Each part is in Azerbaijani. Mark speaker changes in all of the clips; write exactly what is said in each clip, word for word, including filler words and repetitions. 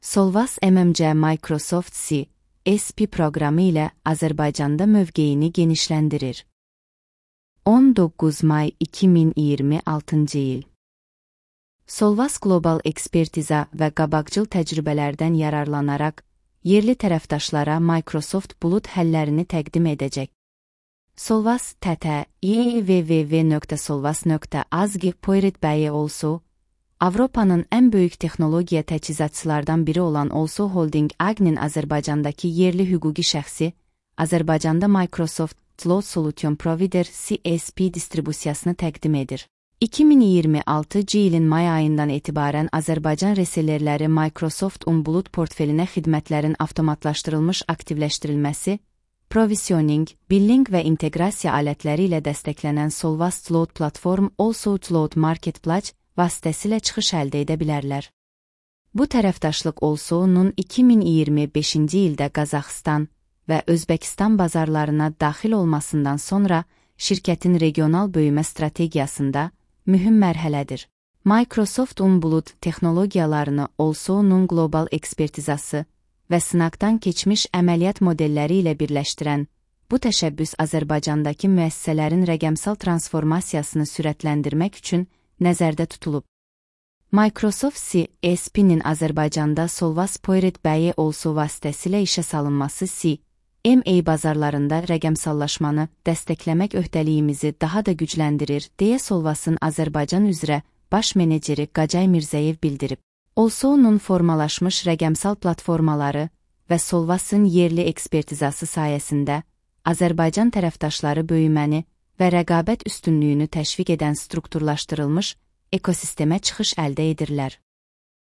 Speaker 1: Solvas M M C Microsoft C S P proqramı ilə Azərbaycanda mövqeyini genişləndirir. on doqquz may iki min iyirmi altıncı il. Solvas qlobal ekspertiza və qabaqcıl təcrübələrdən yararlanaraq, yerli tərəfdaşlara Microsoft Bulut həllərini təqdim edəcək. Solvas T T i w w w nöqtə solvas nöqtə az g poyret bəyi olsu, Avropanın ən böyük texnologiya təchizatçılardan biri olan Olso Holding A G-nin Azərbaycandakı yerli hüquqi şəxsi, Azərbaycanda Microsoft Cloud Solution Provider C S P distribusiyasını təqdim edir. iki min iyirmi altıncı ilin may ayından etibarən Azərbaycan resellerləri Microsoft Un Bulut portfelinə xidmətlərin avtomatlaşdırılmış aktivləşdirilməsi, provisioning, billing və inteqrasiya alətləri ilə dəstəklənən Solvas Cloud Platform Also Cloud Marketplace vasitəsilə çıxış əldə edə bilərlər. Bu tərəfdaşlıq Olso'nun iki min iyirmi beşinci ildə Qazaxıstan və Özbəkistan bazarlarına daxil olmasından sonra şirkətin regional böyümə strategiyasında mühüm mərhələdir. Microsoft Un Bulut texnologiyalarını Olso'nun qlobal ekspertizası və sınaqdan keçmiş əməliyyat modelləri ilə birləşdirən bu təşəbbüs Azərbaycandakı müəssisələrin rəqəmsal transformasiyasını sürətləndirmək üçün nəzərdə tutulub. Microsoft C S P-nin Azərbaycanda Solvas Poyret bəyi Olso vasitəsilə işə salınması C M A bazarlarında rəqəmsallaşmanı dəstəkləmək öhdəliyimizi daha da gücləndirir, deyə Solvasın Azərbaycan üzrə baş meneceri Qacay Mirzəyev bildirib. Olso'nun formalaşmış rəqəmsal platformaları və Solvasın yerli ekspertizası sayəsində Azərbaycan tərəfdaşları böyüməni və rəqabət üstünlüyünü təşviq edən strukturlaşdırılmış ekosistemə çıxış əldə edirlər.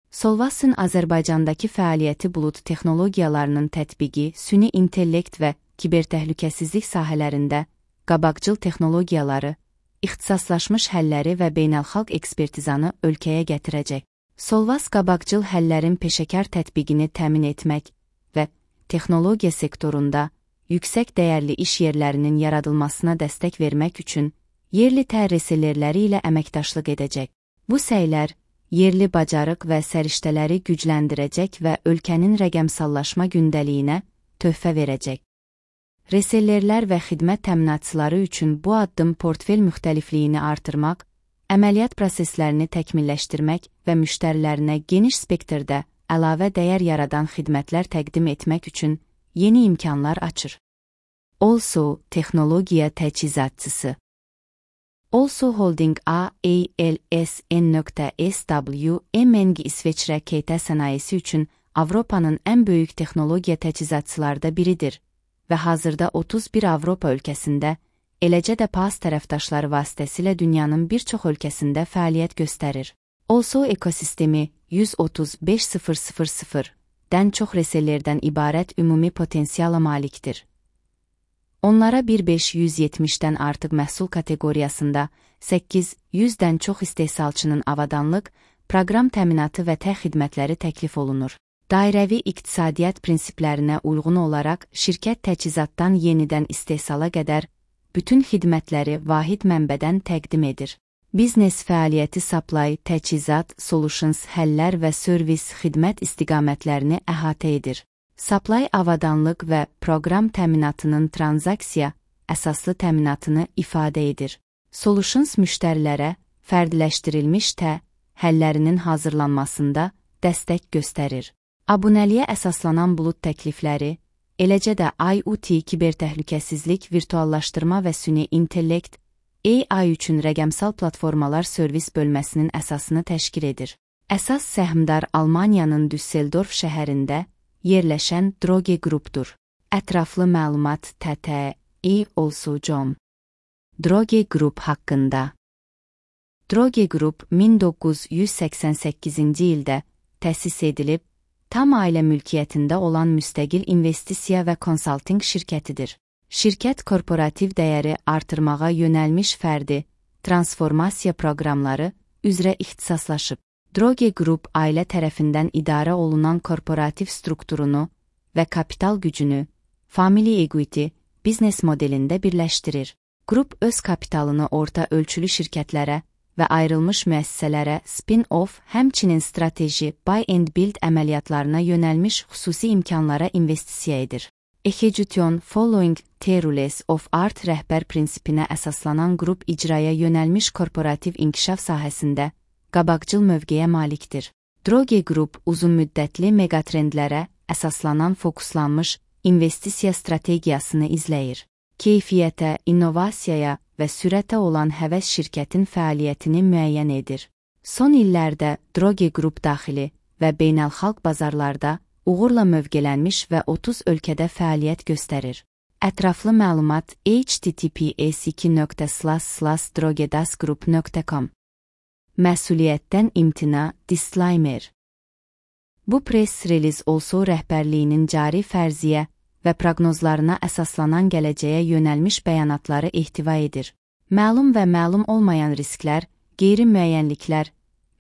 Speaker 1: Solvasın Azərbaycandakı fəaliyyəti bulut texnologiyalarının tətbiqi, süni intellekt və kibertəhlükəsizlik sahələrində qabaqcıl texnologiyaları, ixtisaslaşmış həlləri və beynəlxalq ekspertizanı ölkəyə gətirəcək. Solvas qabaqcıl həllərin peşəkar tətbiqini təmin etmək və texnologiya sektorunda yüksək dəyərli iş yerlərinin yaradılmasına dəstək vermək üçün yerli tər resellerləri ilə əməkdaşlıq edəcək. Bu səylər yerli bacarıq və səriştələri gücləndirəcək və ölkənin rəqəmsallaşma gündəliyinə töhfə verəcək. Resellerlər və xidmət təminatçıları üçün bu addım portfel müxtəlifliyini artırmaq, əməliyyat proseslərini təkmilləşdirmək və müştərilərinə geniş spektrdə əlavə dəyər yaradan xidmətlər təqdim etmək üçün yeni imkanlar açır. Also texnologiya təchizatçısı Also Holding A L S N.S W M N G İsveçrə K T sənayesi üçün Avropanın ən böyük texnologiya təchizatçılarda biridir və hazırda otuz bir Avropa ölkəsində, eləcə də P A S tərəfdaşları vasitəsilə dünyanın bir çox ölkəsində fəaliyyət göstərir. Also ekosistemi yüz otuz beş min dən çox resellerdən ibarət ümumi potensiala malikdir. Onlara bir beş yüz yetmişdən artıq məhsul kateqoriyasında səkkiz yüzdən çox istehsalçının avadanlıq, proqram təminatı və təh xidmətləri təklif olunur. Dairəvi iqtisadiyyat prinsiplərinə uyğun olaraq şirkət təchizatdan yenidən istehsala qədər bütün xidmətləri vahid mənbədən təqdim edir. Biznes fəaliyyəti supply, təchizat, solutions, həllər və servis xidmət istiqamətlərini əhatə edir. Supply avadanlıq və proqram təminatının transaksiya əsaslı təminatını ifadə edir. Solutions müştərilərə fərdləşdirilmiş tə həllərinin hazırlanmasında dəstək göstərir. Abunəliyə əsaslanan bulut təklifləri, eləcə də I O T kibertəhlükəsizlik, virtuallaşdırma və süni intellekt A I üçün rəqəmsal platformalar servis bölməsinin əsasını təşkil edir. Əsas səhmdar Almaniyanın Düsseldorf şəhərində yerləşən Droge Groupdur. Ətraflı məlumat T T i Also nöqtə com. Droge Group haqqında. Droge Group min doqquz yüz səksən səkkizinci ildə təsis edilib, tam ailə mülkiyyətində olan müstəqil investisiya və konsalting şirkətidir. Şirkət korporativ dəyəri artırmağa yönəlmiş fərdi, transformasiya proqramları üzrə ixtisaslaşıb. Droge Group ailə tərəfindən idarə olunan korporativ strukturunu və kapital gücünü Family Equity biznes modelində birləşdirir. Qrup öz kapitalını orta ölçülü şirkətlərə və ayrılmış müəssisələrə spin-off, həmçinin strateji, buy and build əməliyyatlarına yönəlmiş xüsusi imkanlara investisiya edir. Execution following the rules of art rəhbər prinsipinə əsaslanan qrup icraya yönəlmiş korporativ inkişaf sahəsində qabaqcıl mövqeyə malikdir. Droge Group uzunmüddətli megatrendlərə əsaslanan fokuslanmış investisiya strategiyasını izləyir. Keyfiyyətə, innovasiyaya və sürətə olan həvəs şirkətin fəaliyyətini müəyyən edir. Son illərdə Droge Group daxili və beynəlxalq bazarlarda uğurla mövqelənmiş və otuz ölkədə fəaliyyət göstərir. Ətraflı məlumat h t t p s iki nöqtə slash slash drogedasgroup nöqtə com. Məsuliyyətdən imtina, disclaimer. Bu press release also rəhbərliyinin cari fərziyyə və proqnozlarına əsaslanan gələcəyə yönəlmiş bəyanatları ehtiva edir. Məlum və məlum olmayan risklər, qeyri-müəyyənliklər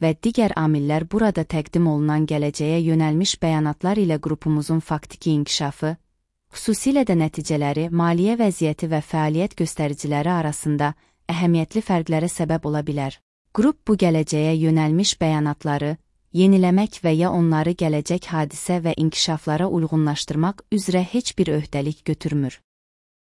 Speaker 1: və digər amillər burada təqdim olunan gələcəyə yönəlmiş bəyanatlar ilə qrupumuzun faktiki inkişafı, xüsusilə də nəticələri, maliyyə vəziyyəti və fəaliyyət göstəriciləri arasında əhəmiyyətli fərqlərə səbəb ola bilər. Qrup bu gələcəyə yönəlmiş bəyanatları yeniləmək və ya onları gələcək hadisə və inkişaflara uyğunlaşdırmaq üzrə heç bir öhdəlik götürmür.